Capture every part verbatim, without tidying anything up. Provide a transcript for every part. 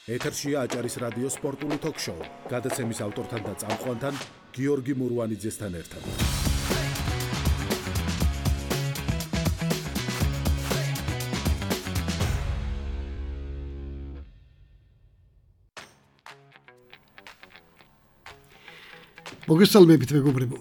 ეთერშია აჭარის რადიო სპორტული თოქ-შოუ. გადაცემის ავტორთან და წამყვანთან გიორგი მურვანიძესთან ერთად. მოგესალმებით მეგობრებო.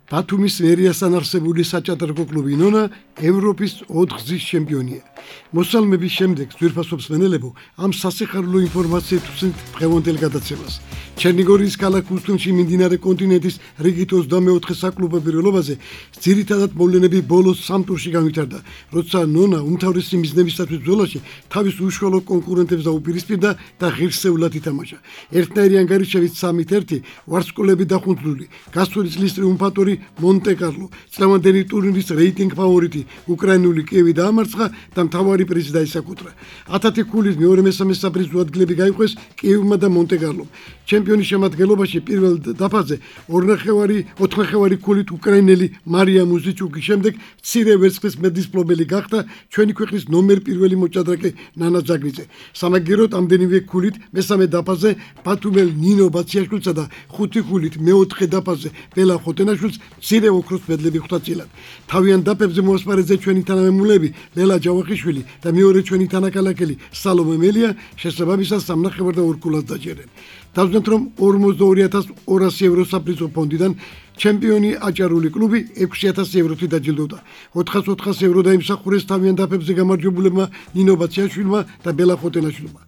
ბათუმის ვერიასთან არსებული საჭადრაკო კლუბი ნონა ევროპის ოთხგზის ჩემპიონია. მოსალმების შემდეგ ძვირფასობს მენელებო ამ სასიხარულო ინფორმაციით უსმენთ დღევანდელ გადაცემას. ჩერნიგორიის ქალაქ უსტუნში მიმდინარე კონტინენტის რიგით ოცდამეოთხე საკლუბო პირველობაზე ძირითადად მოვლენები ბოლოს სამ ტურში განვითარდა, როცა ნონა უმთავრესი მიზნებისათვის ბრძოლაში თავის უშუალო კონკურენტებს დაუპირისპირდა და ღირსეულად ითამაშა. ერთნაირი ანგარიშებით სამით ერთი ვარსკვლავები დახუნძლული, გასული წლის ტრიუმფატორი მონტე-კარლო, წლევანდელი ტურნირის რეიტინგ ფავორიტი უკრაინული კიევი დაამარცხა და მთავარი პრიზი დაისაკუთრა. ათათი ქულის მეორე მესამე საპრიზო ადგილები გაიყვეს კიევმა და მონტე-კარლომ. ჩემპიონის შემადგენლობაში პირველ დაფაზე ორნახევარი ოთხნახევარი ქულით უკრაინელი მარია მუზიჩუკის შემდეგ მცირე ვერცხლის მედისპლობელი გახდა ჩვენი ქვეყნის ნომერ პირველი მოჭადრაკე ნანა ძაგნიძე. სამაგიეროდ ამდენივე ქულით მესამე დაფაზე ბათუმელ ნინო ბაციაშვილსა და ხუთი ქულით მეოთხე დაფაზე ბელა ხოტენაშვილს მცირე ოქროს მედლები ხვდა წილად. თავიან დაფებზე მოასპარეზე ჩვენი თანამემულები ლელა ჯავახიშვილი და მეორე ჩვენი თანაკალაკელი სალომე მელია შესაბამისად სამნახევარ და ორ ქულას დაჯერენ. დავზნათ რომ ორმოცდაორი ათას ორასი ევრო საპრიზო ფონდიდან ჩემპიონი აჭარული კლუბი ექვსი ათასი ევროთი დაჯილდოვდა. ოთხას ოთხას ევრო დაიმსახურეს თავიან დაფებზე გამარჯვებულებმა ნინო ბაციაშვილმა და ბელა ხოტენაშვილმა.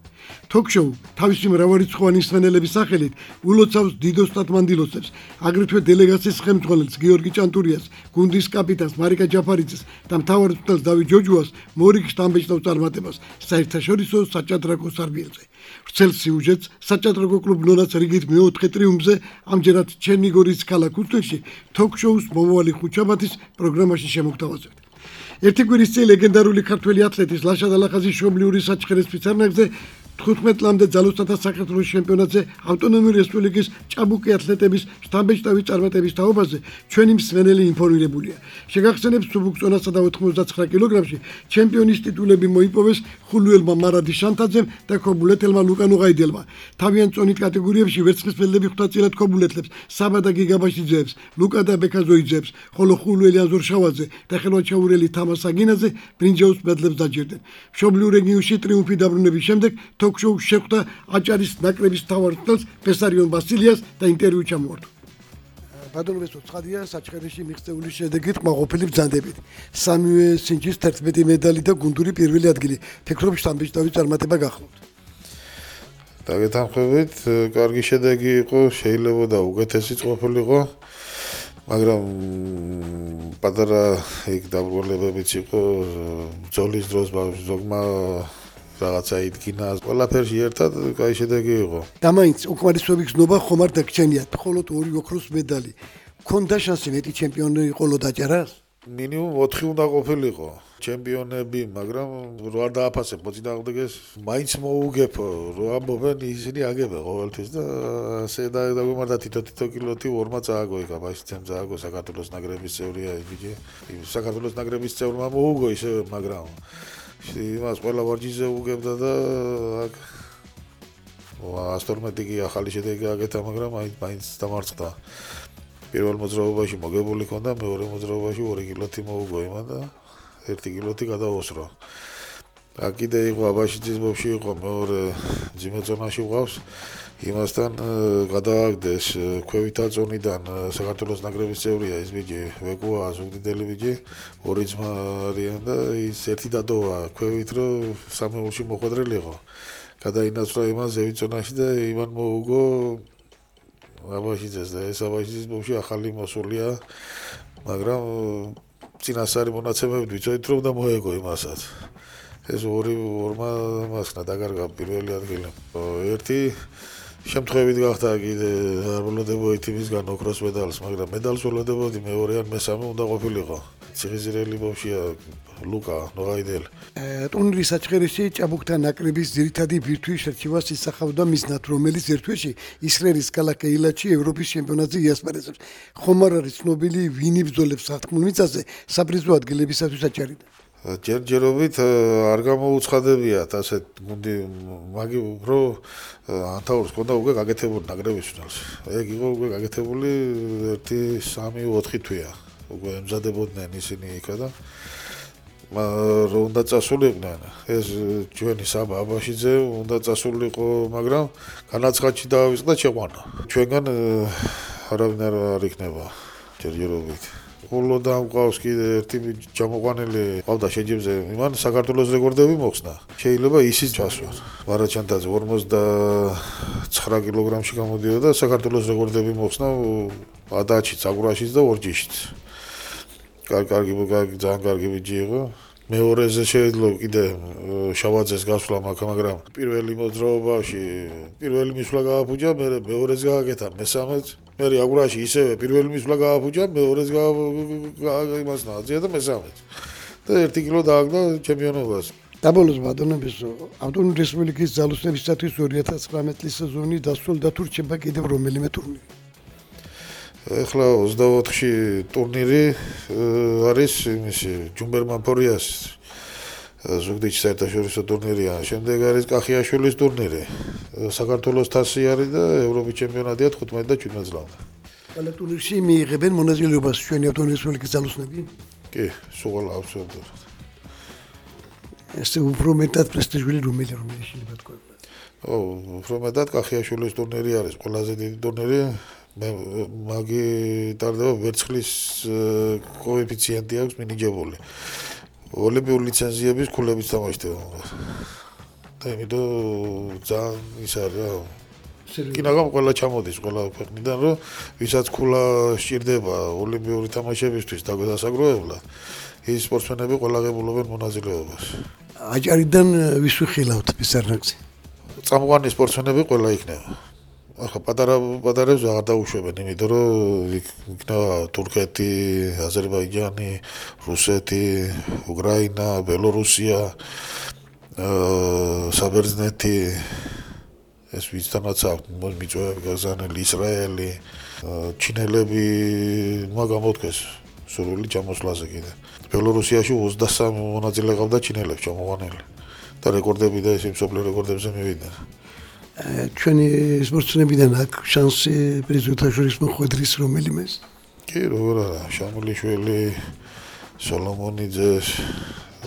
თოქ-შოუ თავისი მრავალრიცხოვანი მსმენელების სახელით ულოცავს დიდო სტატმანდილოსებს, აგრეთვე დელეგაციის ხელმძღვანელს გიორგი ჭანტურიას, გუნდის კაპიტანს მარიკა ჯაფარიძეს და მთავარ მწვრთნელს დავით ჯოჯუას მორიგ შტამბეჭდავ წარმატებას საერთაშორისო საჭადრაკო სარბიელზე. ვრცელ სიუჟეტს საჭადრაკო კლუბ ნონას რიგით მეოთხე ტრიუმფზე ამჯერად ჩერნიგორიის ქალაქ უსტუნში თოქ-შოუს მომავალი ხუთშაბათის პროგრამაში შემოგთავაზებთ. ერთი კვირის წინ ლეგენდარული ქართველი ათლეტის ლაშა დალახაზის მშობლიური საჩხერეს ფიცარნაგზე თხუთმეტ ლამდე ძალოსათა საქართველოს ჩემპიონატზე ავტონომიური რესპუბლიკის ჭაბუკი ათლეტების შტამბეჭდავი წარმატების თაობაზე ჩვენი მსმენელი ინფორმირებულია. შეგახსენებთ სუბუქწონასა და ოთხმოცდაცხრა კილოგრამში ჩემპიონის ტიტულები მოიპოვეს ხულუელმა მარადი შანთაძემ და ქობულეთელმა ლუკა ნუღაიდელმა. თავიან წონით კატეგორიებში ვერცხლის მედლები ხვდა წილად ქობულეთლებს საბა და გიგაბაშიძეებს, ლუკა და ბექაზოიძეებს, ხოლო ხულუელი აზორ შავაძე და ხელვაჩაურელი თამარ საგინაძე ბრინჯაოს მედლებს დაჯერდნენ. მშობლიურ რეგიონში ტრიუმფი დაბრუნების შემდეგ თოქ-შოუ შეხვდა აჭარის ნაკრების მთავარ მწვრთნელს ბესარიონ ბასილიას და ინტერვიუ ჩამოართვა. ბატონებო, ცხადია, საჩხერეში მიღწეული შედეგით ყმაყოფილი ბრძანდებით. სამივე სინჯის თერთმეტი медаლი და გუნდური პირველი ადგილი. ფიქრობ შტამბეჭდავი წარმატება გახლავთ. დაგეთანხმებით, კარგი შედეგი იყო, შეიძლება და უკეთესიც ყოფილიყო, მაგრამ პატარა იქ დაბრუნებებიც იყო, ბრძოლის დროს ზოგმა რაღაცა იდგინა, ყველაფერში ერთად კაი შედეგი იყო. და მაინც უკმარისობი გზნობა ხომ არ დაგჩენიათ, მხოლოდ ორი ოქროს მედალი. ქონდა შანსი მეტი ჩემპიონი იყოლო დაჭარას? მინიმუმ ოთხი უნდა ყოფილიყო ჩემპიონები, მაგრამ რო არ დააფასებ მოწინააღმდეგეს, მაინც მოუგებ, რო ამბობენ ისინი აგებენ ყოველთვის და ასე დაგვემართა თითო-თითო კილოთი ორმა წააგო იქ აბაშიცემ წააგო საქართველოს ნაკრების წევრია ის ბიჭი. საქართველოს ნაკრების წევრმა მოუგო ისე, მაგრამ იმას ყველა ვარჯიშზე უგებდა და აქ ათორმეტი კი ახალი შედეგი აკეთა, მაგრამ მაინც დამარცხდა. პირველ მოძრაობაში მოგებული ჰქონდა, მეორე მოძრაობაში ორი კილოთი მოუგო იმან და ერთი კილოთი გადაოსრო. აქ კიდე იყო აბაშიძის ბავშვი იყო, მეორე მძიმე ზონაში ვყავს. იმასთან გადააგდეს ქვევითა ზონიდან საქართველოს ნაკრების წევრია ის ბიჭი, ვეკუა ზუგდიდელი ბიჭი, ორი ძმა არიან და ის ერთი დადოვა ქვევით, რომ სამეულში მოხვედრილი იყო. გადაინაცვლა იმან ზევით ზონაში და იმან მოუგო აბაშიძეს და ეს აბაშიძის ბავშვი ახალი მოსულია, მაგრამ წინასწარი მონაცემებით ვიცოდით, რომ და მოეგო იმასაც. ეს ორი ორმა მასქნა დაკარგა პირველი ადგილი. ერთი შემთხვევით გახდა კიდე არ ვლოდებოდი იმისგან ოქროს მედალს, მაგრამ მედალს ვლოდებოდი მეორე ან მესამე უნდა ყოფილიყო. ციხისძირელი ბავშვია ლუკა ნუღაიდელი. ტურნირის საჩხერეში ჭაბუკთან ნაკრების ძირითადი ბირთვის შერჩევას ისახავდა მიზნად, რომელიც ერთ თვეში ისრაელის ქალაქ ეილათში ევროპის ჩემპიონატზე იასპარეზებს. ხომ არ არის ცნობილი ვინი ბრძოლებს სათქმულ მიწაზე საპრიზო ადგილებისათვის აჭარიდან? ჯერჯერობით არ გამოუცხადებიათ ასეთ გუნდი მაგი უფრო ანთაურს ქონდა უკვე გაკეთებული ნაკრების ფინალს. ეგ იყო უკვე გაკეთებული ერთი სამი ოთხი თვეა. უკვე ემზადებოდნენ ისინი იქა და რომ უნდა წასულიყვნენ. ეს ჩვენი საბა აბაშიძე უნდა წასულიყო, მაგრამ განაცხადში დაავიწყდა შეყვანა. ჩვენგან არავინ არ იქნება ჯერჯერობით. ხოლო და მყავს კიდე ერთი ჯამოყვანილი ყავდა შეჯიბზე, იმან საქართველოს რეკორდები მოხსნა. შეიძლება ისიც ჩასვან. ვარაჩანდაძე ორმოცდათხრა კილოგრამში გამოდიოდა, საქართველოს რეკორდები მოხსნა ადაჩიც, აგურაშიც და ორჯიშიც. კარგი, კარგი, ძალიან კარგი ბიჭი იყო. მეორეზე შეიძლება კიდე შავაძეს გასვლა, მაგრამ პირველი მოძრაობაში პირველი მისვლა გააფუჭა, მე მეორეზე გააკეთა, მესამეც მე აგურაში ისევე პირველი მისვლა გააფუჭა, მეორეზე იმას ნაძია და მესამეც. და ერთი კილო დააგდა ჩემპიონობას. დაბოლოს ბატონებს ავტონომიური რესპუბლიკის ძალოსნებისათვის ორი ათას ცხრამეტი წლის სეზონი დასრულდა, თუ რჩება კიდევ რომელიმე ტურნირი. ეხლა ოცდაოთხში ტურნირი არის იმისი ჯუმბერმან ფორიას ზუგდიდში საერთაშორისო ტურნირია. შემდეგ არის კახიაშვილის ტურნირი. საქართველოს თასი არის და ევროპის ჩემპიონატია თხუთმეტი და შვიდმეტ წლამდე. ყველა ტურნირში მიიღებენ მონაწილეობას ჩვენი ავტონომიური რესპუბლიკის ძალოსნები? კი, სულ ყველა აბსოლუტურად. ეს უფრო მეტად პრესტიჟული რომელი რომელი შეიძლება თქვა. ო, უფრო მეტად კახიაშვილის ტურნირი არის ყველაზე დიდი ტურნირი. მე მაგი ტარდება ვერცხლის კოეფიციენტი აქვს მინიჭებული. ოლიმპიური ლიცენზიების ქულებიც თამაშდება. და იმიტომ ძალიან ის არის რა. კინაგამ ყველა ჩამოდის ყველა ქვეყნიდან, რომ ვისაც ქულა სჭირდება ოლიმპიური თამაშებისთვის დაგასაგროებლად, ის სპორტსმენები ყველა ღებულობენ მონაწილეობას. აჭარიდან ვის ვიხილავთ პისარნაკზე? წამყვანი სპორტსმენები ყველა იქნება. ახლა პატარა პატარებს აღარ დაუშვებენ, იმიტომ რომ იქნება თურქეთი, აზერბაიჯანი, რუსეთი, უკრაინა, ბელორუსია, საბერძნეთი, ეს ვისთანაც აქვს მიწვევები გაზანელი, ისრაელი, ჩინელები მაგამოთქეს სურვილი ჩამოსვლაზე კიდე. ბელორუსიაში ოცდასამი მონაწილე ყავდა ჩინელებს ჩამოყვანილი და რეკორდები და ისე მსოფლიო რეკორდებზე მივიდნენ. ჩვენი სპორტსმენებიდან აქვს შანსი პრიზოთა შორის მოხვედრის რომელიმეს? კი, როგორ არა, შამილიშვილი, სოლომონიძე,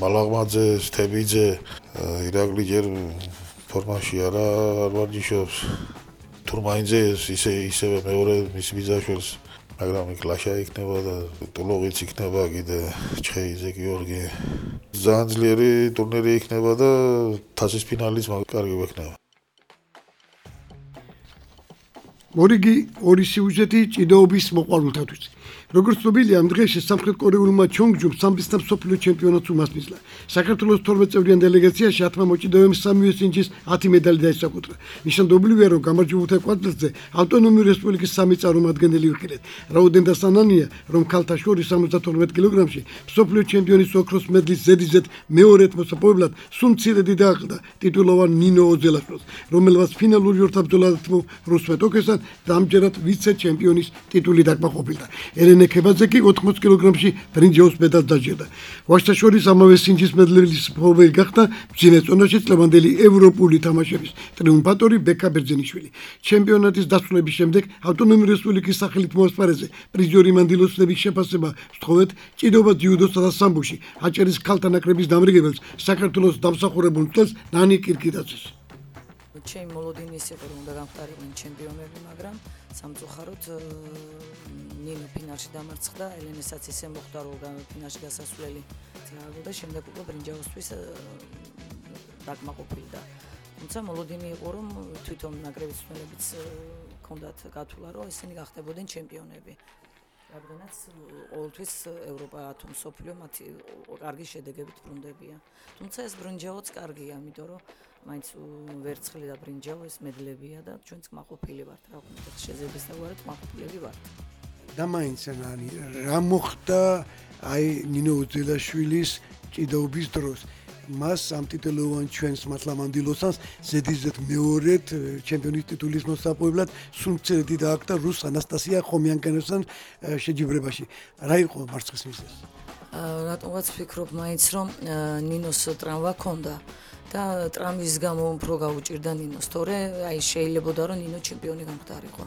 მალაღმაძე, თებიძე, ირაკლი ჯერ ფორმაში არა არ ვარჯიშობს. თურმაინძე ისე ისევე მეორე მისი ბიძაშვილს, მაგრამ იქ ლაშა იქნება და ტულოღიც იქნება კიდე, ჩხეიძე გიორგი. ძალიან ძლიერი ტურნირი იქნება და თასის ფინალის კარგი ვექნება. მორიგი ორი სიუჟეტი ჭიდაობის მოყვარულთათვის. როგორც ცნობილია, ამ დღეში სამხრეთ კორეულმა ჩონგჯუმ სამბის მსოფლიო ჩემპიონატს უმასპინძლა. საქართველოს თორმეტ წევრიან დელეგაციაში ათმა მოჭიდავემ სამივე სინჯის ათი медаლი დაისაკუთრა. ნიშანდობლივია, რომ გამარჯვებულთა კვარტალზე ავტონომიური რესპუბლიკის სამი წარმომადგენელი ვიყიდეთ. რაოდენ და სანანია, რომ ქალთა შორის სამოცდათორმეტ კილოგრამში მსოფლიო ჩემპიონის ოქროს მედლის ზედიზედ მეორედ მოსაპოვებლად სულ მცირედი დააყდა ტიტულოვან ნინო ოძელაშვილს, რომელმაც ფინალური ორთაბრძოლად რუსმეტ ოკესთან და ამჯერად ვიცე ჩემპიონის ტიტული დაკმაყოფილდა. ელენე ქებაძე კი ოთხმოცი კილოგრამში ბრინჯაოს მედალს დაჯერდა. ვაჟთა შორის ამავე სინჯის მედლების მფლობელი გახდა მძიმე წონაში წლევანდელი ევროპული თამაშების ტრიუმფატორი ბეკა ბერძენიშვილი. ჩემპიონატის დასრულების შემდეგ ავტონომიური რესპუბლიკის სახელით მოასპარეზე პრიზიორი მანდილოსების შეფასება სთხოვეთ ჭიდაობა ძიუდოსა და სამბოში აჭარის ქალთა ნაკრების დამრიგებელს საქართველოს დამსახურებულ მწვრთნელს ნანი კირკიდაძეს. ჩემი მოლოდინი ის იყო, რომ უნდა გამختارიყვნენ ჩემპიონები, მაგრამ სამწუხაროდ ნინო ფინალში დამარცხდა, ელენესაც ისე მოხდა, რომ ფინალში გასასვლელი წააგო და შემდეგ უკვე ბრინჯაოსთვის დაკმაყოფილდა. თუმცა მოლოდინი იყო, რომ თვითონ ნაკრების მწვრთნელებიც ჰქონდათ გათვლა, რომ ისინი გახდებოდნენ ჩემპიონები. რადგანაც ყოველთვის ევროპა თუ მსოფლიო მათი კარგი შედეგებით ბრუნდებიან. თუმცა ეს ბრინჯაოც კარგია, იმიტომ რომ მაინც ვერცხლი და ბრინჯაო ეს მედლებია და ჩვენც კმაყოფილი ვართ, რა ვქნა, შეძების და ვართ კმაყოფილები ვართ. და მაინც რა მოხდა აი ნინო ოძელაშვილის ჭიდაობის დროს? მას ამ ტიტულოვან ჩვენს მართლა მანდილოსანს ზედიზედ მეორედ ჩემპიონის ტიტულის მოსაპოვებლად სულ მცირედი დააყდა რუს ანასტასია ხომიანკენოსთან შეჯიბრებაში. რა იყო მარცხის მიზეზი? რატომღაც ვფიქრობ მაინც რომ ნინოს ტრამვა ქონდა და ტრამვის გამო უფრო გაუჭირდა ნინოს, თორე აი შეიძლებოდა რომ ნინო ჩემპიონი გამხდარიყო.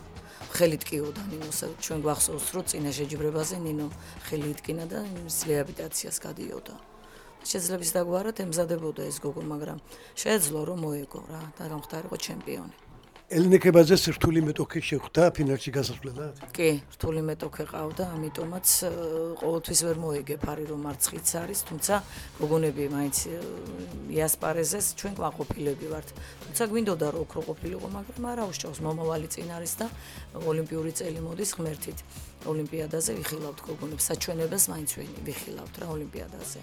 ხელი ტკიოდა ნინოს, ჩვენ გვახსოვს რომ წინა შეჯიბრებაზე ნინო ხელი იტკინა და რეაბილიტაციას გადიოდა. შეიძლება ის დაგვარად ემზადებოდა ეს გოგო, მაგრამ შეეძლო რომ მოეგო რა და გამხდარიყო ჩემპიონი. ელინეკებაზე რთული მეტოქე შეხვდა ფინალში გასასვლელად? კი, რთული მეტოქე ყავდა, ამიტომაც ყოველთვის ვერ მოეგებ არის რომ მარცხიც არის, თუმცა გოგონები მაინც იასპარეზეს ჩვენ ყვაყოფილები ვართ. თუმცა გვინდოდა რომ ოქრო ყოფილიყო, მაგრამ არა უშავს, მომავალი წინ არის და ოლიმპიური წელი მოდის ღმერთით. ოლიმპიადაზე ვიხილავთ გოგონებს, საჩვენებას მაინც ვიხილავთ რა ოლიმპიადაზე.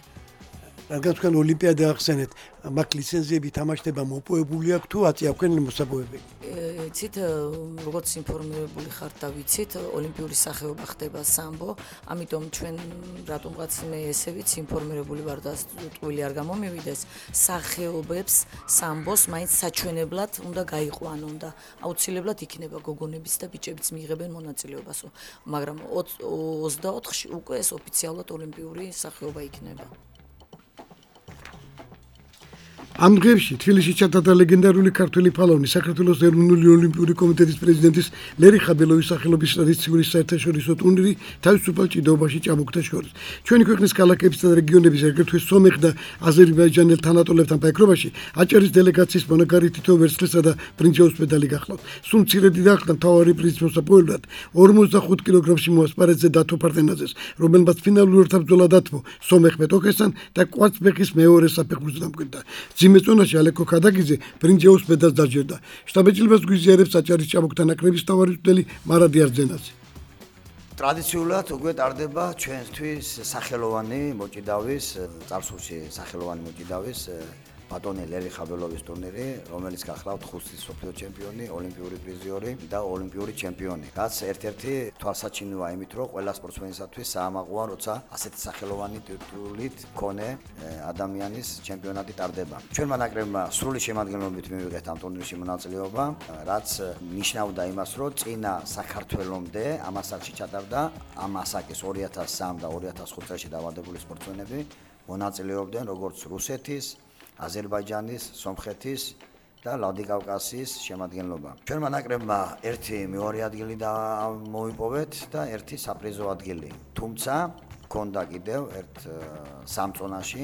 რადგან თქვენ ოლიმპიადა ახსენეთ, მაგ ლიცენზიები თამაშდება მოპოვებული აქვს თუ აწია თქვენ მოსაპოვებელი? იცით, როგორც ინფორმირებული ხართ და ვიცით, ოლიმპიური სახეობა ხდება სამბო, ამიტომ ჩვენ რატომღაც მე ესე ვიცი, ინფორმირებული ვარ და ტყუილი არ გამომივიდეს, სახეობებს სამბოს მაინც საჩვენებლად უნდა გაიყვანონ და აუცილებლად იქნება გოგონების და ბიჭებიც მიიღებენ მონაწილეობას, მაგრამ ოცდაოთხში უკვე ეს ოფიციალურად ოლიმპიური სახეობა იქნება. ამ დღეებში თბილისში ჩატარდა ლეგენდარული ქართველი ფალავნის საქართველოს ეროვნული ოლიმპიური კომიტეტის პრეზიდენტის ლერი ხაბელოვის სახელობის ტრადიციული საერთაშორისო ტურნირი თავისუფალ ჭიდაობაში ჭაბუკთა შორის. ჩვენი ქვეყნის ქალაქებისა და რეგიონების აგრეთვე სომეხ და აზერბაიჯანელ თანატოლებთან ფაიქრობაში აჭარის დელეგაციის მონაგარი თითო ვერცხლისა და ბრინჯაოს მედალი გახლავთ. სულ მცირედი დაახდა მთავარი პრიზის მოსაპოვებლად ორმოცდახუთ კილოგრამში მოასპარეზე დათო ფარტენაძეს, რომელმაც ფინალურ ეთაპბრძოლა დათმო სომეხ მეტოქესთან და კვარცხლბეკის მეორე საფეხურზე დამკვიდრდა. ძიმეწონაში ალეკო ქადაგიძე ბრინჯაოს მედალს დაჯერდა. შტაბეჭდილებას გვიზიარებს აჭარის ჭაბუკთა ნაკრების მთავარი მწვრთნელი მარადი არძენაძე. ტრადიციულად უკვე ტარდება ჩვენთვის სახელოვანი მოჭიდავის, წარსულში სახელოვანი მოჭიდავის ბატონი ლერი ხაბელოვის ტურნირი, რომელიც გახლავთ ხუთი სოფლიო ჩემპიონი, ოლიმპიური პრიზიორი და ოლიმპიური ჩემპიონი. რაც ერთ-ერთი თვალსაჩინოა იმით, რომ ყველა სპორტსმენისათვის საამაყოა, როცა ასეთი სახელოვანი ტიტულით მქონე ადამიანის ჩემპიონატი ტარდება. ჩვენმა ნაკრებმა სრული შემადგენლობით მივიღეთ ამ ტურნირში მონაწილეობა, რაც ნიშნავდა იმას, რომ წინა საქართველოსამდე ამ ასაკში ჩატარდა ამ ასაკის ორი ათას სამი და ორი ათას ხუთი წელში დაავადებული სპორტსმენები მონაწილეობდნენ როგორც რუსეთის, აზერბაიჯანის, სომხეთის და ვლადიკავკაზიის შემადგენლობა. ჩვენმა ნაკრებმა ერთი მეორე ადგილი მოვიპოვეთ და ერთი საპრიზო ადგილი. თუმცა მქონდა კიდევ ერთ სამწონაში,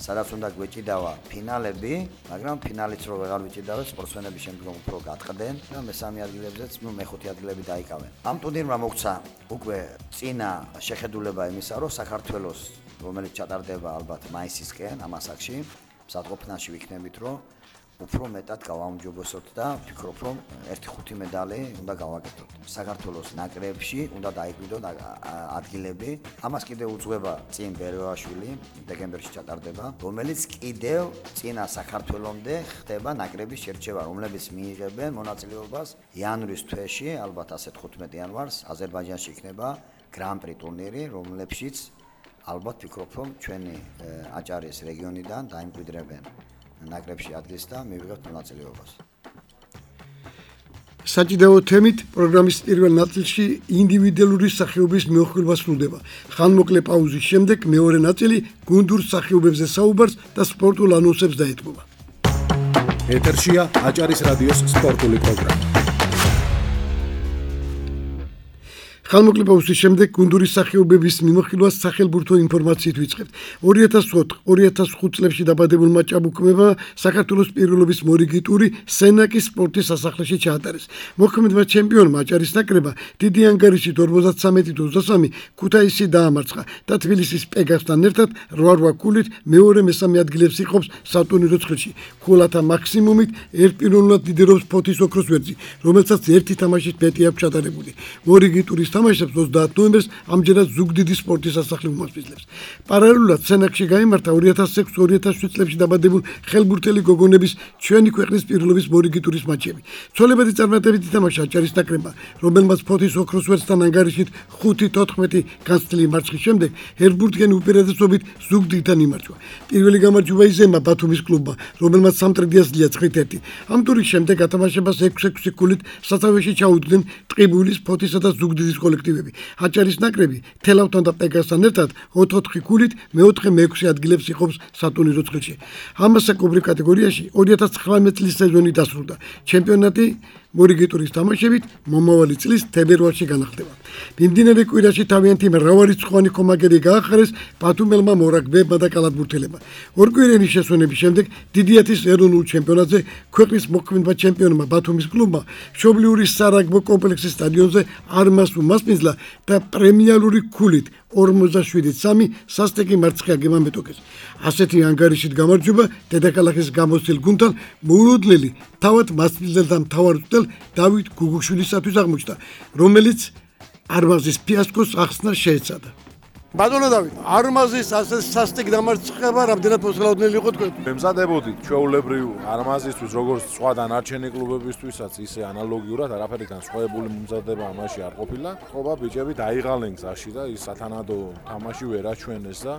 სადაც უნდა გვეჭიდავა ფინალები, მაგრამ ფინალიც რო ვეღარ ვეჭიდავთ, სპორტსმენები შემდგომ უფრო გატყდნენ და მესამე ადგილებზეც, ნუ მეხუთე ადგილები დაიკავენ. ამ ტურნირმა მოგვცა უკვე წინა შეხედულება იმისა, რომ საქართველოს, რომელიც ჩატარდება ალბათ მაისისკენ ამ ასაკში, მსადყოფნაში ვიქნებით, რომ უფრო მეტად გავაუმჯობესოთ და ვფიქრობ, რომ ერთი ხუთი მედალი უნდა გავაკეთოთ. საქართველოს ნაკრებში უნდა დაიკვირდოთ ადგილები. ამას კიდევ უძღვება წინ ბერევაშვილი, დეკემბერში ჩატარდება, რომელიც კიდევ წინა საქართველოსამდე ხდება ნაკრების შერჩევა, რომლებიც მიიღებენ მონაწილეობას იანვრის თვეში, ალბათ ასეთ ხუთმეტი იანვარს, აზერბაიჯანში იქნება გრან-პრი ტურნირი, რომლებშიც ალბათ ვფიქრობ, რომ ჩვენი აჭარის რეგიონიდან დაიმკვიდრებენ ნაკრებში ადგილს და მივიღებთ მონაწილეობას. საჭიდაო თემით პროგრამის პირველ ნაწილში ინდივიდუალური სახეობის მეოხილვა სრულდება. ხანმოკლე პაუზის შემდეგ მეორე ნაწილი გუნდურ სახეობებზე საუბარს და სპორტულ ანონსებს დაეთმობა. ეთერშია აჭარის რადიოს სპორტული პროგრამა. ხანმოკლე პაუზის შემდეგ გუნდური სახეობების მიმოხილვას სახელმწიფო ინფორმაციით ვიწყებთ. ორი ათას ოთხ ორი ათას ხუთ წლებში დაბადებულმა ჭაბუკებმა საქართველოს პირველობის მორიგი ტური სენაკის სპორტის სასახლეში ჩაატარეს. მოქმედმა ჩემპიონმა აჭარის ნაკრებმა დიდი ანგარიშით ორმოცდათრამეტი ოცდასამი ქუთაისი დაამარცხა და თბილისის პეგასთან ერთად რვა რვა ქულით მეორე მესამე ადგილებს იყოფს სატურნირო ცხრილში. ქულათა მაქსიმუმით ერთპიროვნულად ლიდერობს ფოთის ოქროს ვერძი, რომელსაც ერთი თამაშით მეტი აქვს ჩატარებული. მორიგი ტურის თამაშებს ოცდაათ ნოემბერს ამჯერად ზუგდიდი სპორტის სასახლე უმასპინძლებს. პარალელურად სენაკში გაიმართა ორი ათას ექვსი ორი ათას შვიდ წლებში დაბადებულ ხელბურთელი გოგონების ჩვენი ქვეყნის პირველობის მორიგი ტურის მატჩები. ცოლებადი წარმატებით ითამაშა აჭარის ნაკრებმა, რომელმაც ფოთის ოქროს ვერცხლთან ანგარიშით ხუთი თოთხმეტი განცდილი მარცხის შემდეგ ერთბურთიანი უპირატესობით ზუგდიდთან იმარჯვა. პირველი გამარჯვება იზემა ბათუმის კლუბმა, რომელმაც სამტრედია სძლია ცხრით ერთი. ამ ტურის შემდეგ ათამაშებას ექვსი ექვსი ქულით სათავეში ჩაუდგნენ ტყიბულის, ფოთისა და ზუგდიდის კოლექტივები. აჭარის ნაკრები თელავთან და პეგასთან ერთად ოთხ-ოთხი ქულით მეოთხე მეექვსე ადგილებს იყოფს სატურნირო წრეში. ამასაკობრივ კატეგორიაში ორი ათას ცხრამეტი წლის სეზონი დასრულდა. ჩემპიონატი მორიგიტურის თამაშებით მომავალი წლის თებერვალში განახლდება. მიმდინარე კვირაში თავიანთი მრავალრიცხოვანი კომაგერი გაახარეს ბათუმელმა მორაგბეებმა და კალათბურთელებმა. ორკვირიანი შესვენების შემდეგ დიდიათის ეროვნულ ჩემპიონატზე ქვეყნის მოქმედმა ჩემპიონმა ბათუმის კლუბმა მშობლიური სარაგბო კომპლექსის სტადიონზე არმას უმასპინძლა და პრემიალური ქულით ორმოცდაშვიდი სამი სასტიკი მარცხი აგემამეტოკეს. ასეთი ანგარიშით გამარჯვება დედაქალაქის გამოცდილ გუნდთან მოულოდნელი თავად მასპინძელთა მთავარ დავით გუგუშვილისათვის აღმოჩნდა, რომელიც არმაზის ფიასკოს ახსნა შეეცადა. ბატონო დავით, არმაზის ასე სასტიკ დამარცხება რამდენად მოსალოდნელი იყო თქვენ? მემზადებოდით ჩვეულებრივ არმაზისთვის, როგორც სხვა დანარჩენი კლუბებისთვისაც, ისე ანალოგიურად არაფერიდან სხვაებული მომზადება ამაში არ ყოფილა. ხობა ბიჭები დაიღალნენ გზაში და ის სათანადო თამაში ვერ აჩვენეს და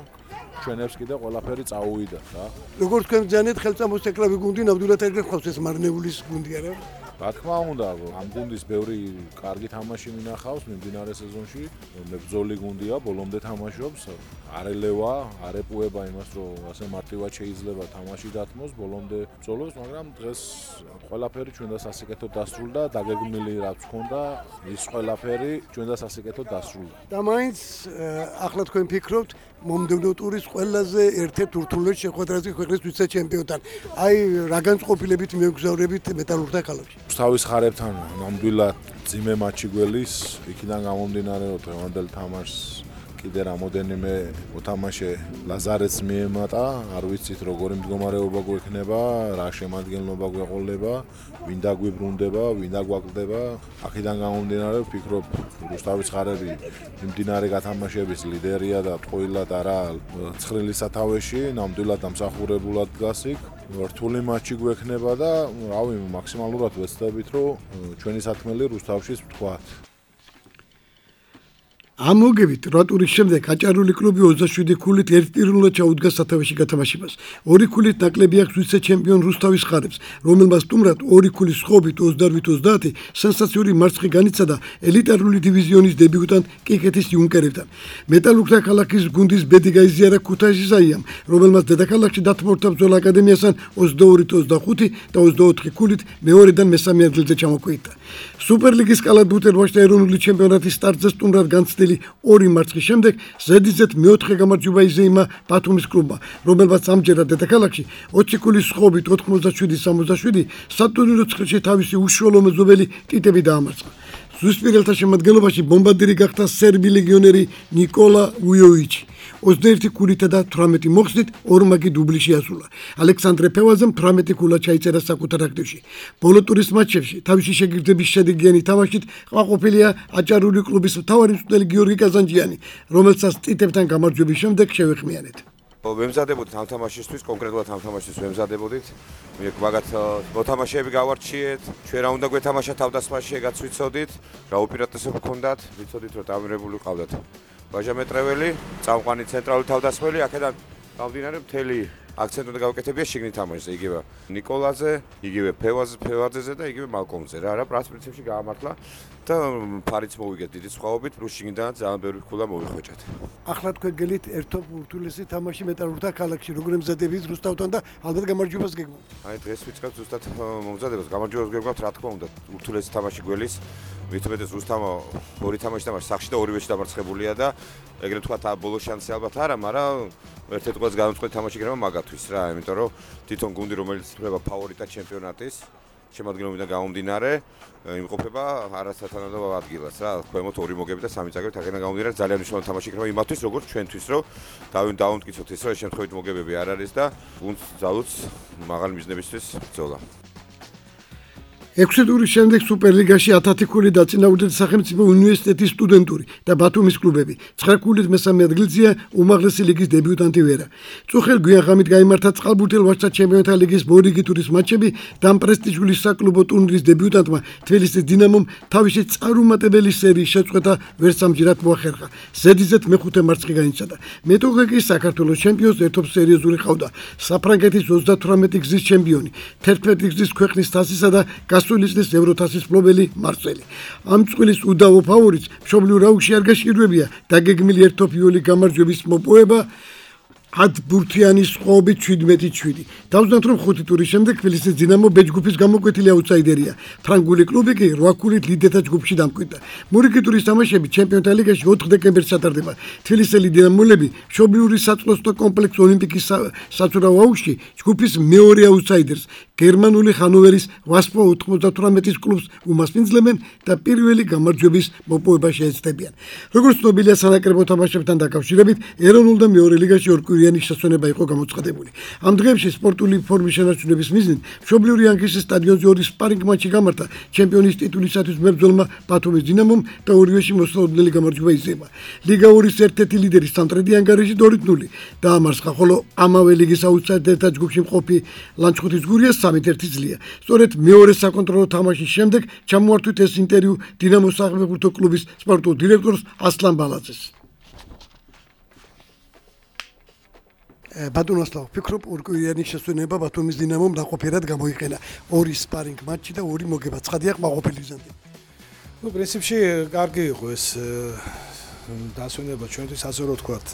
ჩვენებს კიდე ყველაფერი წაუვიდა რა. როგორც თქვენ ბრძანეთ, ხელწამოსაკლავი გუნდი ნამდვილად ეგრე ხავს ეს მარნეულის გუნდი არა? რა თქმა უნდა, ამ გუნდის ბევრი კარგი თამაში მინახავს მიმდინარე სეზონში. მებრძოლი გუნდია, ბოლომდე თამაშობს. არელევა, არეპუება იმას, რომ ასე მარტივად შეიძლება თამაში დათმოს, ბოლომდე ბრძოლობს, მაგრამ დღეს ყველაფერი ჩვენ და სასიკეთოდ დასრულდა, დაგეგმილი რაც ჰქონდა, ის ყველაფერი ჩვენ და სასიკეთოდ დასრულდა. და მაინც ახლა თქვენ ფიქრობთ მომდევნო ტურის ყველაზე ერთ-ერთ ურთულეს შეხვედრაზე ქვეყნის ვიცე-ჩემპიონთან. აი რა განწყობილებით მიგვგზავრებით მეტალურგთა ქალაქში. თავის ხარებთან ნამდვილად ძიმე მატჩი გველის, იქიდან გამომდინარე რომ დღევანდელ თამაშს კიდე რამოდენიმე მოთამაშე ლაზარეთს მიემატა, არ ვიცით როგორი მდგომარეობა გვექნება, რა შემადგენლობა გვეყოლება, ვინ დაგვიბრუნდება, ვინ დაგვაკლდება. აქედან გამომდინარე ვფიქრობ, რუსთავის ხარები მიმდინარე გათამაშების ლიდერია და ტყუილად არა ცხრილი სათავეში, ნამდვილად დამსახურებულად დგას იქ. რთული მატჩი გვექნება და რავი, მაქსიმალურად ვეცდებით, რომ ჩვენი საქმელი რუსთავშიც ვთქვათ. ამ მოგებით რვა ტურის შემდეგ აჭარული კლუბი ოცდაშვიდი ქულით ერთპიროვნულად ჩაუდგა სათავეში გათამაშებას. ორი ქულით ნაკლები აქვს ვიცე-ჩემპიონ რუსთავის ხარებს, რომელმაც სტუმრად ორი ქულის სხობით ოცდაოთხ ოცდაათი სენსაციური მარცხი განიცადა ელიტარული დივიზიონის დებიუტანტ კიკეთის იუნკერებთან. მეტალურგთა ქალაქის გუნდის ბედი გაიზიარა ქუთაისის აიამ, რომელმაც დედაქალაქში დათმორთა ბრძოლა აკადემიასთან ოცდაორი ოცდახუთი და ოცდაოთხი ქულით მეორედან მესამე ადგილზე ჩამოკვეითდა. სუპერლიგის კალათბურთელთა ეროვნული ჩემპიონატის სტარტზე სტუმრად განცდილი ორი მარცხის შემდეგ ზედიზედ მეოთხე გამარჯვება იზეიმა ბათუმის კლუბმა, რომელმაც ამჯერად დედაქალაქში ოცი ქულის სხობით ოთხმოცდაშვიდი სამოცდაშვიდი სატურნირო ცხრილში თავისი უშუალო მეზობელი ტიტები დაამარცხა. ზუსპირელთა შემადგენლობაში ბომბარდირი გახდა სერბი ლეგიონერი ნიკოლა უიოვიჩი. ოცდაერთი ქულითა და თვრამეტი მოხსნით ორმაგი დუბლი შეასრულა. ალექსანდრე ფევაძემ თვრამეტი ქულა ჩაიწერა საკუთარ აქტივში. ბოლო ტურის მატჩებში თავისი შეგირდების შედეგიანი თამაშით ყვაყოფილია აჭარული კლუბის მთავარი მწვრთნელი გიორგი კაზანჯიანი, რომელსაც ტიტებთან გამარჯვების შემდეგ შევეხმიანეთ. ვემზადებოდით ამ თამაშისთვის, კონკრეტულად ამ თამაშისთვის ვემზადებოდით. მაგათ მოთამაშეები გავარჩიეთ, ჩვენ რა უნდა გვეთამაშა თავდასხმაში, ეგაც ვიცოდით, რა უპირატესობა გქონდათ, ვიცოდით რომ დამირებული ყავდათ. ვაჟამეტრეველი, წამყვანი ცენტრალური თავდასხმელი, აქედან გამდინარე მთელი აქცენტი უნდა გავაკეთებია შიგნით თამაშზე, იგივე ნიკოლაძე, იგივე ფევაძეზე და იგივე მალკომზე. რა რა პრინციპში პრინციპში გაამართლა და ფარიც მოვიგეთ დიდი სხვაობით, პლუს შიგნიდან ძალიან ბევრი ქულა მოვიხვეჭათ. ახლა თქვენ გელით ერთობ ურთულესი თამაში მეტალურგთა ქალაქში, როგორ ემზადებით რუსთავთან და ალბათ გამარჯვებას გეგმავთ. აი დღეს ვიწყებთ ზუსტად მომზადებას, გამარჯვებას გეგმავთ, რა თქმა უნდა, ურთულესი თამაში გველის. მithumetes რუსთავმა ორი თამაში დამარცხა სახში და ორივეში დამარცხებულია და ეგრეთ ვთქვათ, ბოლო შანსი ალბათ არა, მაგრამ ერთ-ერთი ყველაზე გამომწყვეტი თამაში გრემა მაგათვის რა, იმიტომ რომ თვითონ გუნდი რომელიც ითვლება ფავორიტად ჩემპიონატის შემადგენლობიდან გამომდინარე, იმყოფება არასათანადო ადგილას რა, ქვემოთ ორი მოგები და სამი წაგებით, აქედან გამომდინარე ძალიან მნიშვნელოვანი თამაში გრემა იმათთვის, როგორც ჩვენთვის, რომ დავიმტკიცოთ ის, რომ ეს შემთხვევით მოგებები არ არის და გუნდს ძალუც მაღალი მიზნებისთვის ბრძოლა. ექვსი ტურის შემდეგ სუპერლიგაში ათათი ქულით დაწინაურდა სახელმწიფო უნივერსიტეტის სტუდენტური და ბათუმის კლუბები. ცხრა ქულით მესამე ადგილზეა უმაღლესი ლიგის დებიუტანტი ვერა. წუხელ გვიანღამით გაიმართა წყალბურთელ ვაჟთა ჩემპიონთა ლიგის მორიგი ტურის მატჩები და ამ პრესტიჟული საკლუბო ტურნირის დებიუტანტმა თბილისის დინამომ თავისი წარუმატებელი სერიის შეწყვეტა ვერც ამჯერად მოახერხა. ზედიზედ მეხუთე მარცხი განიცადა. მეტოქე კი საქართველოს ჩემპიონს ერთობს სერიოზული ყავდა. საფრანგეთის ოცდათვრამეტი გზის ჩემპიონი, თერთმეტი გზის ქვეყნის თასისა და გასულისნის ევროთასის მფლობელი მარსელი. ამ წყვილის უდავო ფავორიტს მშობლიურ აუგში არ გაშიშვებია დაგეგმილი ერთოფიული გამარჯვების მოპოვება ათბურთიანი სხობით შვიდმეტი შვიდი. დავზნათ რომ ხუთი ტურის შემდეგ თბილისის დინამო ბ ჯგუფის გამოკვეთილი აუტსაიდერია. ფრანგული კლუბი კი რვა ქულით ლიდერთა ჯგუფში დამკვიდრდა. მორიგი ტურის თამაშები ჩემპიონთა ლიგაში ოთხ დეკემბერს ჩატარდება. თბილისელი დინამოლები მშობლიური საწყლოსნო კომპლექს ოლიმპიკის საცურაო აუგში ჯგუფის მეორე აუტსაიდერს გერმანული ხანოვერის ვასპო ოთხმოცდათვრამეტის კლუბს უმასპინძლებენ და პირველი გამარჯვების მოპოვება შეეცდებიან. როგორც ცნობილია სანაკრებო თამაშებთან დაკავშირებით, ეროვნულ და მეორე ლიგაში ორკვირიანი შესვენება იყო გამოცხადებული. ამ დღეებში სპორტული ფორმის შენარჩუნების მიზნით მშობლიური ანკისის სტადიონზე ორი სპარინგ მატჩი გამართა ჩემპიონის ტიტულისათვის მებრძოლმა ბათუმის დინამომ და ორივეში მოსალოდნელი გამარჯვება იზრდება. ლიგა ორის ერთ-ერთი ლიდერი სამტრედი ანგარიში ორი ნული დაამარცხა, ხოლო ამავე ლიგის აუტსაიდერთა ჯგუფში მყოფი ლანჩხუთის გურია სამი ერთი ძლია. სწორედ მეორე საკონტროლო თამაშის შემდეგ ჩამოართვით ეს ინტერვიუ დინამოს საფეხბურთო კლუბის სპორტულ დირექტორს ასლან ბალაძეს. ბატონოსლავ, ფიქრობ ორკვირიანი შესვენება ბათუმის დინამომ ნაყოფიერად გამოიყენა. ორი სპარინგ მატჩი და ორი მოგება. ცხადია ყმაყოფილი გზამდე. ну პრინციპში კარგი იყო ეს დასვენება ჩვენთვის ასე რომ ვთქვათ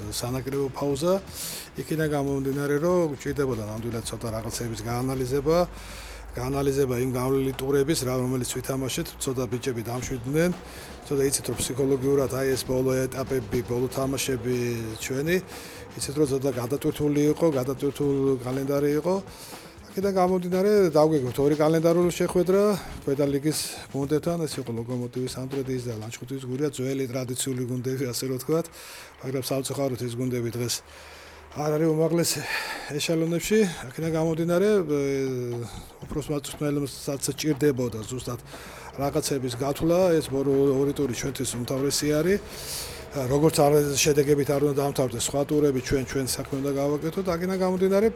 სანაკრებო პაუზა. იქიდან გამომდინარე რომ ჭირდებოდა ნამდვილად ცოტა რაღაცების გაანალიზება, გაანალიზება იმ გავლილი ტურების, რომელიც ვითამაშეთ, ცოტა ბიჭები დამშვიდნენ. ცოტა იცით რომ ფსიქოლოგიურად აი ეს ბოლო ეტაპები, ბოლო თამაშები ჩვენი იცით რომ ცოტა გადატვირთული იყო, გადატვირთული კალენდარი იყო. აქედან გამომდინარე დავგეგმოთ ორი კალენდარული შეხვედრა ქვედა ლიგის გუნდებთან, ეს იყო ლოკომოტივის სამტრედის და ლანჩხუთის გურია, ძველი ტრადიციული გუნდები, ასე რომ ვთქვათ, მაგრამ სამწუხაროდ ეს გუნდები დღეს არ არის უმაღლეს ეშელონებში. აქედან გამომდინარე უბრალოდ მაწვრთნელებსაც ჭირდებოდა ზუსტად რაღაცების გათვლა, ეს ორი ტური ჩვენთვის უმთავრესი არის. როგორც არ შედეგებით არ უნდა დამთავრდეს სხვა ტურები, ჩვენ ჩვენ საქმე უნდა გავაკეთოთ. აქედან გამომდინარე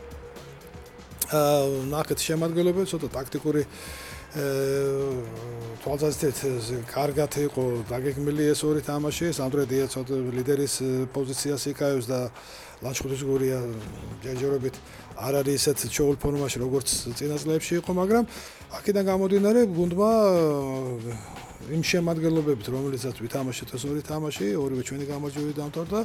ნახეთ შემადგენლობა ცოტა ტაქტიკური თვალსაზრისით კარგად იყო დაგეგმილი ეს ორი თამაში. სამტრედია ცოტა ლიდერის პოზიციას იკავებს და ლანჩხუთის გურია ჯერჯერობით არ არის ისეთ ჩაულ ფორმაში როგორც წინა წლებში იყო, მაგრამ აქედან გამომდინარე გუნდმა იმ შემადგენლობებით, რომელიცაც ვითამაშეთ ეს ორი თამაში, ორივე ჩვენი გამარჯვებით დამთავრდა.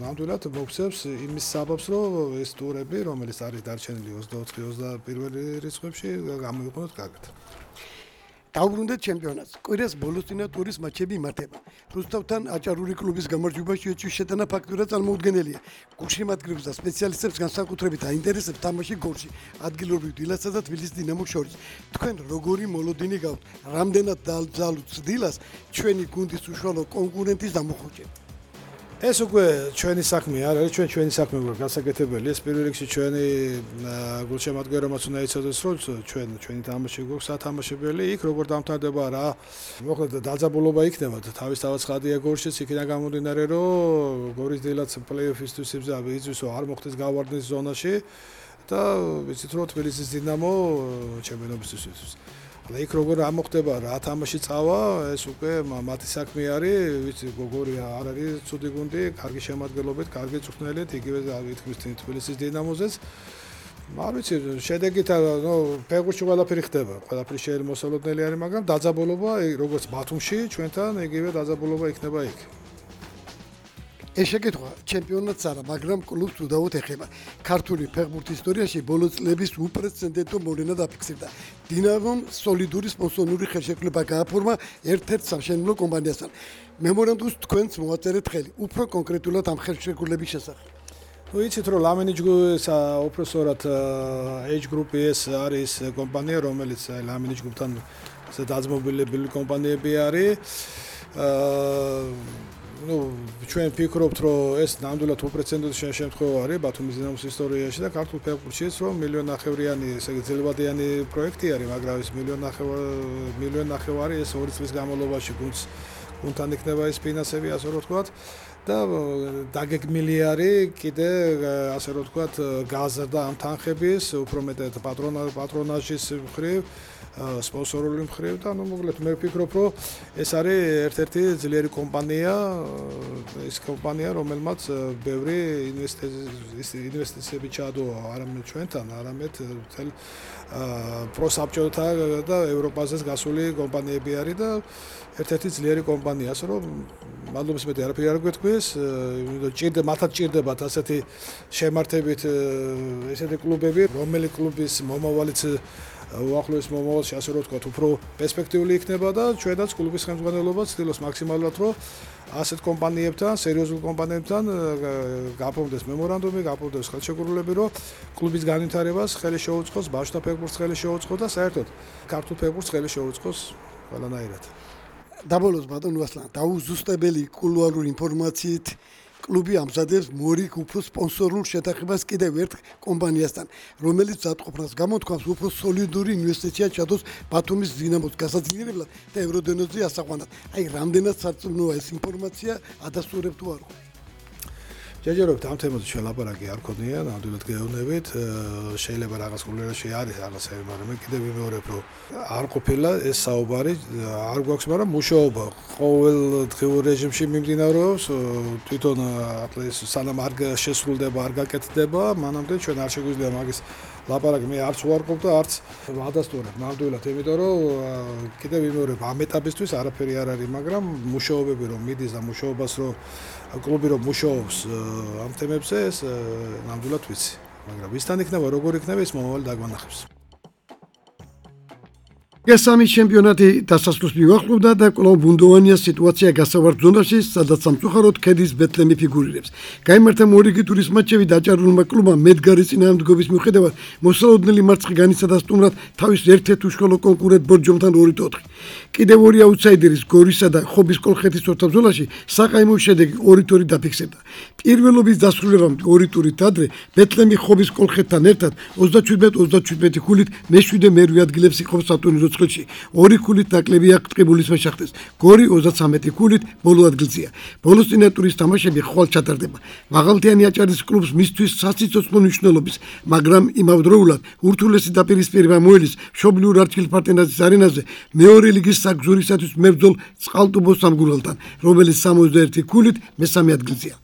ნამდვილად მოგვცემს იმის საბაბს, რომ ეს ტურები, რომელიც არის დარჩენილი ოცდაოთხი ოცდაპირველი რიცხვებში, გამოიყენოთ კარგად. დაუბრუნდეთ ჩემპიონატს. კვირას ბოლოს წინა ტურის მატჩები იმართება. რუსთავთან აჭარული კლუბის გამარჯვებაში ეჭვის შეტანა ფაქტურად წარმოუდგენელია. გულშემატკივრებს და სპეციალისტებს განსაკუთრებით აინტერესებს თამაში გოლში ადგილობრივ დილასა და თბილისის დინამოს შორის. თქვენ როგორი მოლოდინი გაქვთ? რამდენად დაალძალოთ დილას ჩვენი გუნდის უშუალო კონკურენტის დამოხვეჭება? ეს უკვე ჩვენი საქმე არ არის, ჩვენ ჩვენი საქმე გვაქვს გასაკეთებელი. ეს პირველ რიგში ჩვენი გულშემატკივრებმაც უნდა იცოდეს, რომ ჩვენ ჩვენი თამაში გვაქვს სათამაშებელი. იქ როგორ დამთავრდება რა, მოკლედ დაძაბულობა იქნება და თავისთავად ცხადია გორშიც, იქიდან გამომდინარე, რომ გორის დილაც პლეი-ოფისთვის იზრდის, რომ არ მოხდეს გავარდნის ზონაში და ვიცით რომ თბილისის დინამო ჩემპიონობისთვის. და იქ როგორ ამოხდება რა თამაში წავა, ეს უკვე მათი საქმე არის, ვიცი გოგორია არ არის ცუდი გუნდი, კარგი შემადგენლობით, კარგი წვრთნელით, იგივე ითქმის თბილისის დინამოზეც. არ ვიცი, შედეგით ნუ ფეხბურთში ყველაფერი ხდება, ყველაფერი შეიძლება მოსალოდნელი არის, მაგრამ დაძაბულობა როგორც ბათუმში ჩვენთან, იგივე დაძაბულობა იქნება იქ. ეს შეკითხვა ჩემპიონატს არა, მაგრამ კლუბს უდავოდ ეხება. ქართული ფეხბურთის ისტორიაში ბოლო წლების უპრეცედენტო მოვლენა დაფიქსირდა. დინამომ სოლიდური სპონსორული ხელშეკრულება გააფორმა ერთ-ერთ სამშენებლო კომპანიასთან. მემორანდუმს თქვენც მოაწერეთ ხელი, უფრო კონკრეტულად ამ ხელშეკრულების შესახებ. ну იცით რომ ლამენი ჯგუფის უპრესორად H Group ეს არის კომპანია, რომელიც ლამენი ჯგუფთან დაძმობილებული კომპანიები არის. ну ჩვენ ფიქრობთ რომ ეს ნამდვილად უპრეცედენტო შემთხვევა არის ბათუმის დინამოს ისტორიაში და ქართულ ფეხბურთშიც რომ მილიონ ნახევრიანი ესე იგი ძელვადიანი პროექტი არის, მაგრამ ეს მილიონ ნახევარი მილიონ ნახევარი ეს ორი წლის განმავლობაში გუნდს გუნდთან იქნება ეს ფინანსები, ასე რომ ვთქვათ და დაგეგმილი არის კიდე ასე რომ ვთქვათ გაზრდა ამ თანხების, უფრო მეტად პატრონაჟის მხრივ, სპონსორული მხრივ და ну მოკლედ მე ვფიქრობ, რომ ეს არის ერთ-ერთი ძლიერი კომპანია, ის კომპანია, რომელმაც ბევრი ინვესტიციები ჩაადოა არამედ ჩვენთან, არამედ მთელ პროსაბჭოთა და ევროპაზეც გასული კომპანიები არის და ერთ-ერთი ძლიერი კომპანია, ასე რომ მადლობის მეტი არაფერი არ გვეთქვეს, იმიტომ ჭირდება მათაც ჭირდებათ ასეთი შემართებით ესეთი კლუბები, რომელი კლუბის მომავალიც უახლოეს მომავალში ასე რომ ვთქვათ, უფრო პერსპექტიული იქნება და ჩვენაც კლუბის ხელმძღვანელობა ცდილობს მაქსიმალურად, რომ ასეთ კომპანიებთან, სერიოზულ კომპანიებთან გაფორმდეს მემორანდუმი, გაფორმდეს ხელშეკრულებები, რომ კლუბის განვითარებას ხელი შეუწყოს, ბავშვთა ფეხბურთს ხელი შეუწყოს და საერთოდ ქართულ ფეხბურთს ხელი შეუწყოს ყველანაირად. დაბოლოს ბატონო ასლან, დაუზუსტებელი კულუარული ინფორმაციით კლუბი ამზადებს მორიგ უფრო სპონსორულ შეთანხმებას კიდევ ერთ კომპანიასთან, რომელიც ზადყოფნას გამოთქვამს უფრო სოლიდური ინვესტიცია ჩადოს ბათუმის დინამოს გასაძლიერებლად და ევროდენოზე ასაყვანად. აი, რამდენად სარწმუნოა ეს ინფორმაცია, ადასტურებ თუ არ ხო? ჯერჯერობით ამ თემაზე ჩვენ ლაპარაკი არ ქონია, ნამდვილად გეუბნებით, შეიძლება რაღაც კულტურაში არის რაღაცები, მაგრამ მე კიდევ ვიმეორებ, რომ არ ყოფილა ეს საუბარი, არ გვაქვს, მაგრამ მუშაობა ყოველდღიურ რეჟიმში მიმდინარეობს, თვითონ ატლეს სანამ არ შესრულდება, არ გაკეთდება, მანამდე ჩვენ არ შეგვიძლია მაგის ლაპარაკი მე არც უარყოფ და არც ვადასტურებ ნამდვილად, იმიტომ რომ კიდევ ვიმეორებ ამ ეტაპისთვის არაფერი არ არის, მაგრამ მუშაობები რომ მიდის და მუშაობას რომ კლუბი რომ მუშაობს ამ თემებზე ეს ნამდვილად ვიცი, მაგრამ ვისთან იქნება, როგორ იქნება ის მომავალი დაგვანახებს. გასამი ჩემპიონატი დასასრულს მივახლოვდა და კვლავ ბუნდოვანია სიტუაცია გასავართ ზონაში, სადაც სამწუხაროდ ქედის ბეთლემი ფიგურირებს. გაიმართა მორიგი ტურის მატჩები დაჭარულმა კლუბმა მედგარის წინააღმდეგობის მიუხედავად მოსალოდნელი მარცხი განიცადა სტუმრად თავის ერთ-ერთ უშუალო კონკურენტ ბორჯომთან ორი ოთხი. კიდევ ორი აუთსაიდერის გორისა და ხობის კოლხეთის ორთაბრძოლაში საყაიმო შედეგი ორი ორი დაფიქსირდა. პირველობის დასრულებამდე ორი ტურით ადრე ბეთლემი ხობის კოლხეთთან ერთად ოცდაშვიდ ოცდაშვიდ ქულით მეშვიდე მერვე ადგილებს იყო სატურნირო წრეში. ორი ქულით ნაკლებია ტყიბულის მეშახტეს. გორი ოცდათვრამეტი ქულით ბოლო ადგილზეა. ბოლოს წინა ტურის თამაშები ხვალ ჩატარდება. მაღალთიანი აჭარის კლუბს მისთვის სასიცოცხლო მნიშვნელობის, მაგრამ იმავდროულად ურთულესი დაპირისპირება მოელის მშობლიურ არჩილ პარტენაზის არენაზე მეორე ლიგის საგზურისათვის მებრძოლ წყალტუბოს სამგურელთან, რომელიც სამოცდაერთი ქულით მესამე ადგილზეა.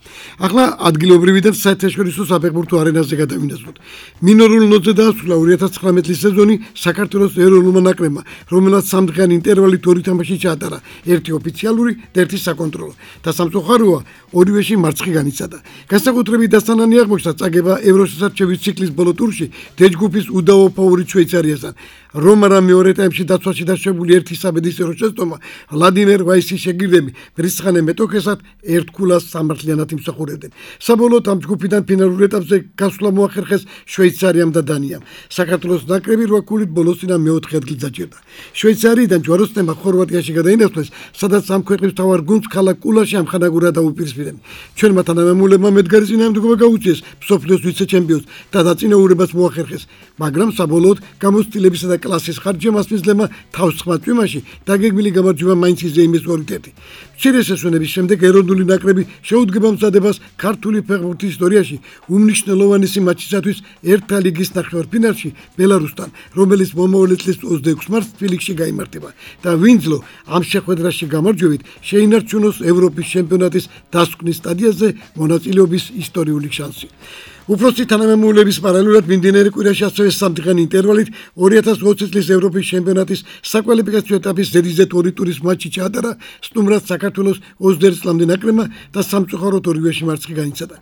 ახლა ადგილობრივიდან საერთაშორისო საფეხბურთო არენაზე გადავინაცვლოთ. მინორულ ნოთზე დაასრულა ორი ათას ცხრამეტი წლის სეზონი საქართველოს ეროვნულმა ნაკრებმა, რომელსაც სამდღიანი ინტერვალით ორი თამაში ჩაატარა, ერთი ოფიციალური და ერთი საკონტროლო. და სამწუხაროა, ორივეში მარცხი განიცადა. განსაკუთრებით დასანანი აღმოჩნდა წაგება ევროსასარჩევის ციკლის ბოლო ტურში დეჯგუფის უდავო ფავორიტ შვეიცარიასთან. რომარა მეორე ტაიმში დაცვაში დაშვებული ერთი საბედისწერო შეცდომა ვლადიმერ ვაისის შეგირდები ბრისხანე მეტოქესად ერთქულას სამართლიანად იმსახურებდნენ. საბოლოოდ ამ ჯგუფიდან ფინალურ ეტაპზე გასვლა მოახერხეს შვეიცარიამ და დანიამ. საქართველოს ნაკრები რვა ქულით ბოლოსწინა მეოთხე ადგილს დაჭერდა. შვეიცარიიდან ჯვაროსნებმა ხორვატიაში გადაინაცვლეს, სადაც ამ ქვეყნის მთავარ გუნდს ქალაქ კულაში ამხანაგურად დაუპირისპირდნენ. ჩვენმა თანამემულებმა მედგარის წინააღმდეგობა გაუწიეს მსოფლიოს ვიცე-ჩემპიონს და დაწინაურებას მოახერხეს, მაგრამ საბოლოოდ გამოცდილებისა და კლასის ხარჯემ ასმისლებმა თავს სხვა წვიმაში დაგეგმილი გამარჯვება მაინც იზეიმეს ორი ერთი. მცირე სესვენების შემდეგ ეროვნული ნაკრები შეუდგება მზადებას ქართული ფეხბურთის ისტორიაში უმნიშვნელოვანესი მატჩისათვის ერთა ლიგის ნახევარფინალში ბელარუსთან, რომელიც მომავალი წლის ოცდაექვსი მარტს თბილისში გაიმართება და ვინძლო ამ შეხვედრაში გამარჯვებით შეინარჩუნოს ევროპის ჩემპიონატის დასკვნის სტადიაზე მონაწილეობის ისტორიული შანსი. უფროსი თანამემულების პარალელურად მიმდინარე კვირაში ასევე სამდღიანი ინტერვალით ორი ათას ოცი წლის ევროპის ჩემპიონატის საკვალიფიკაციო ეტაპის ზედიზედ ორი ტურის მატჩი ჩაატარა სტუმრად საქართველოს ოცდაერთი წლამდე ნაკრებმა და სამწუხაროდ ორივეში მარცხი განიცადა.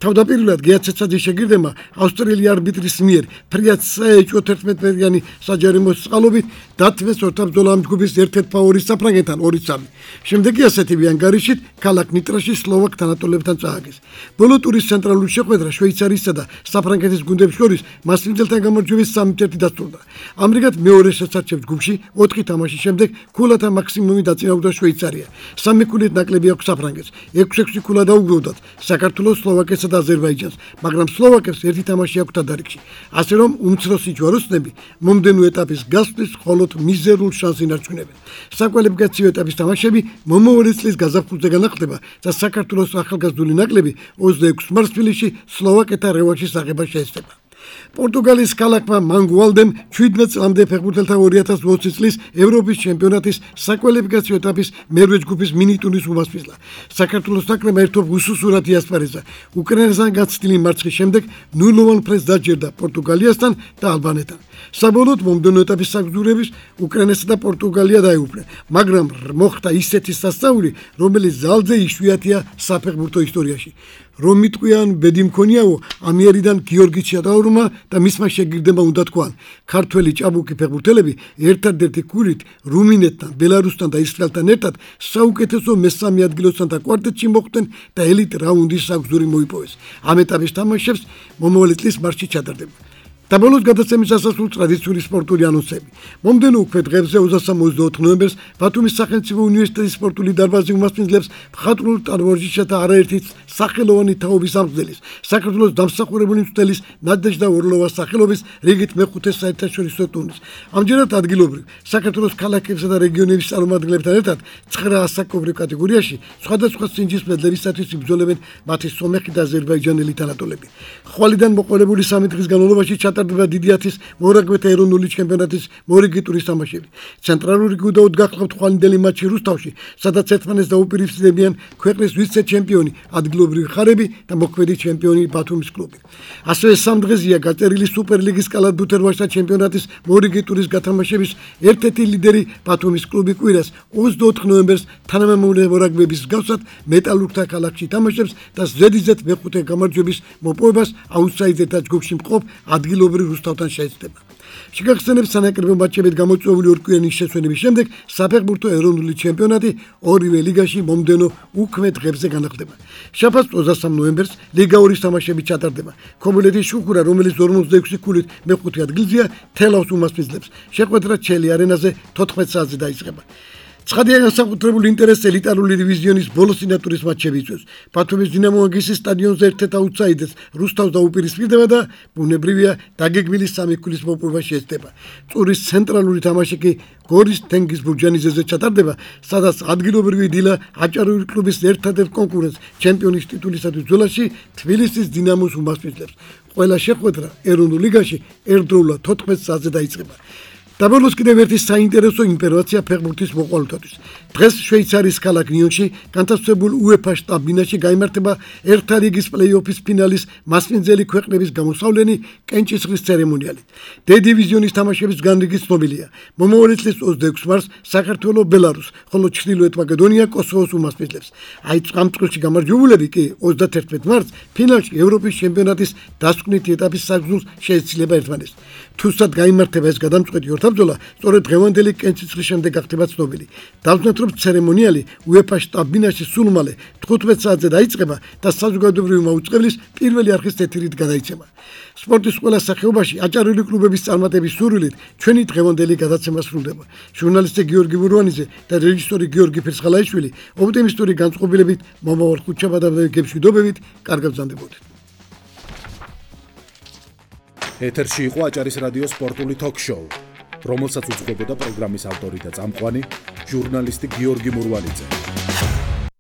თავდაპირველად გეაცეცაძის შეგირდებმა ავსტრიელი არბიტრის მიერ ფრიად საეჭვო თერთმეტმეტრიანი საჯარიმოს წყალობით დათმეს ორთაბრძოლა ამ ჯგუფის ერთ-ერთ ფავორიტ საფრანგეთთან ორი სამი. შემდეგ კი ასეთივე ანგარიშით ქალაქ ნიტრაში სლოვაკ თანატოლებთან წააგეს. ბოლო ტურის ცენტრალური შეხვედრა შვეიცარიის შვეიცარიისა და საფრანგეთის გუნდებს შორის მასპინძელთან გამარჯვების სამი ერთი დასრულდა. ამრიგად მეორე შესარჩევ ჯგუფში ოთხი თამაშის შემდეგ ქულათა მაქსიმუმი დაწინაურდა შვეიცარია. სამი ქულით ნაკლები აქვს საფრანგეთს, ექვსი-ექვსი ქულა დაუგროვდათ საქართველოს, სლოვაკეთსა და აზერბაიჯანს, მაგრამ სლოვაკებს ერთი თამაში აქვთ დადარიგში. ასე რომ უმცროსი ჯვაროსნები მომდენო ეტაპის გასვლის მხოლოდ მიზერულ შანსს ინარჩუნებენ. საკვალიფიკაციო ეტაპის თამაშები მომავალი წლის გაზაფხულზე განახლდება და საქართველოს ახალგაზრდული ნაკრები ოცდაექვსი მარს თბილისში სლოვაკეთთან რევანშის აღება შეეცდება. პორტუგალიის ქალაქმა მანგუალდემ შვიდმეტ წლამდე ფეხბურთელთა ორი ათას ოცი წლის ევროპის ჩემპიონატის საკვალიფიკაციო ეტაპის მერვე ჯგუფის მინიტურის უმასპინძლა. საქართველოს ნაკრებმა ერთობ უსუსურად იასპარეზა. უკრაინასთან გაცდილი მარცხის შემდეგ ნულოვან ფრენს დაჯერდა პორტუგალიასთან და ალბანეთთან. საბოლოოდ მომდენო ეტაპის საგზურების უკრაინასა და პორტუგალია დაეუფლნენ, მაგრამ მოხდა ისეთი სასწაული, რომელიც ძალზე იშვიათია საფეხბურთო ისტორიაში. რომ მიტყვიან ბედი მქონიაო, ამიერიდან გიორგი ჩატაურმა და მისმა შეგირდება უნდა თქვან. ქართველი ჭაბუკი ფეხბურთელები ერთადერთი ქულით რუმინეთთან, ბელარუსთან და ისრაელთან ერთად საუკეთესო მესამე ადგილოსთან და კვარტეტში მოხვდნენ და ელიტ რაუნდის საგზური მოიპოვეს. ამ ეტაპის თამაშებს მომავალი წლის მარტში ჩატარდება. Tabolos გადაცემის ასასრულ ტრადიციული სპორტული ანონსები. მომდენო უქმე დღეებზე ოცდასამი ოცდაოთხი ნოემბერს ბათუმის სახელმწიფო უნივერსიტეტის სპორტული დარბაზი უმასპინძლებს მხატვრულ ტანვარჯიშათა არაერთი სახელოვანი თაობის ამსგზელის, საქართველოს დამსახურებული მცველის ნადეჟდა ორლოვას სახელობის რიგით მეხუთე საერთაშორისო ტურნირს. ამჯერად ადგილობრივ საქართველოს ქალაქებსა და რეგიონების წარმომადგენლებთან ერთად ცხრა ასაკობრივ კატეგორიაში სხვადასხვა სინჯის მედლებისათვის იბრძოლებენ მათი სომეხი და აზერბაიჯანელი თანატოლები. ხვალიდან მოყოლებული სამი დღის განმავლობაში ჩატარდება დიდი ათის მორაგბეთა ეროვნული ჩემპიონატის მორიგი ტურის თამაშები. ცენტრალური გუნდაოდ გახლავთ ხვალინდელი მატჩი რუსთავში, სადაც ერთმანეთს დაუპირისპირდებიან ქვეყნის ვიცე-ჩემპიონი, ადგილობრივი ხარები და მოქმედი ჩემპიონი ბათუმის კლუბი. ასევე სამ დღეზეა გაწერილი სუპერლიგის კალათბურთელთა ჩემპიონატის მორიგი ტურის გათამაშების ერთ-ერთი ლიდერი ბათუმის კლუბი კვირას ოცდაოთხი ნოემბერს თანამემამულე მორაგბეების მსგავსად მეტალურგთა ქალაქში თამაშებს და ზედიზედ მეხუთე გამარჯვების მოპოვებას აუტსაიდერთა ჯგუფში მყოფ ადგილობრივ რუსთავთან შეეცდება. შეგახსენებთ სანაკრებო მატჩებით გამოწვეული ორკვირიანი შესვენების შემდეგ საფეხბურთო ეროვნული ჩემპიონატი ორივე ლიგაში მომდენო უქმე დღეებზე განახლდება. შაბათს ოცდასამი ნოემბერს ლიგა ორის თამაშები ჩატარდება. ქობულეთის შუქურა, რომელიც ორმოცდაექვსი ქულით მეხუთე ადგილზეა, თელავს უმასპინძლებს. შეხვედრა ჩელი არენაზე თოთხმეტ საათზე დაიწყება. ცხადია განსაკუთრებული ინტერესი ელიტარული დივიზიონის ბოლოსინატურის მატჩები იწვევს. ბათუმის დინამო აგისის სტადიონზე ერთ-ერთ აუტსაიდერს რუსთავს დაუპირისპირდება და ბუნებრივია დაგეგმილი სამი ქულის მოპოვება შეეცდება. წურის ცენტრალური თამაში კი გორის თენგიზ ბურჯანიძეზე ჩატარდება, სადაც ადგილობრივი დილა აჭარული კლუბის ერთადერთ კონკურენტს ჩემპიონის ტიტულისათვის ბრძოლაში თბილისის დინამოს უმასპინძლებს. ყველა შეხვედრა ეროვნულ ლიგაში ერთდროულად თოთხმეტ საათზე დაიწყება. Tabolos კიდევ ერთი საინტერესო ინფორმაცია ფეხბურთის მოყვარულთათვის. დღეს შვეიცარიის ქალაქ ნიონში განთავსებულ უეფა შტაბ-ბინაში გაიმართება ერთა ლიგის პლეი-ოფის ფინალის მასპინძელი ქვეყნების გამოსავლენი კენჭისყრის ცერემონიალი. დე დივიზიონის თამაშების განრიგი ცნობილია. მომავალი წლის ოცდაექვსი მარს საქართველო ბელარუს, ხოლო ჩრდილოეთ მაკედონია კოსოვოს უმასპინძლებს. აი ამ წუთში გამარჯვებულები კი ოცდათერთმეტ მარტს ფინალში ევროპის ჩემპიონატის დასკვნითი ეტაპის საგზურს შეეცილება ერთმანეთს. თუმცა გაიმართება ეს გადამწყვეტი ორთაბრძოლა სწორედ დღევანდელი კენჭისყრის შემდეგ გახდება ცნობილი. დავზნათ რომ ცერემონიალი უეფა შტაბ-ბინაში სულ მალე თხუთმეტ საათზე დაიწყება და საზოგადოებრივი მაუწყებლის პირველი არხის ეთერით გადაიცემა. სპორტის ყველა სახეობაში აჭარული კლუბების წარმატების სურვილით ჩვენი დღევანდელი გადაცემა სრულდება. ჟურნალისტი გიორგი ბურვანიძე და რეჟისორი გიორგი ფირცხალაიშვილი ოპტიმისტური განწყობილებით მომავალ ხუთშაბათამდე გებშვიდობებით, კარგად ბრძანდებოდეთ. ეთერში იყო აჭარის რადიოს სპორტული თოქ-შოუ, რომელსაც უძღვებოდა პროგრამის ავტორი და წამყვანი ჟურნალისტი გიორგი მურვანიძე.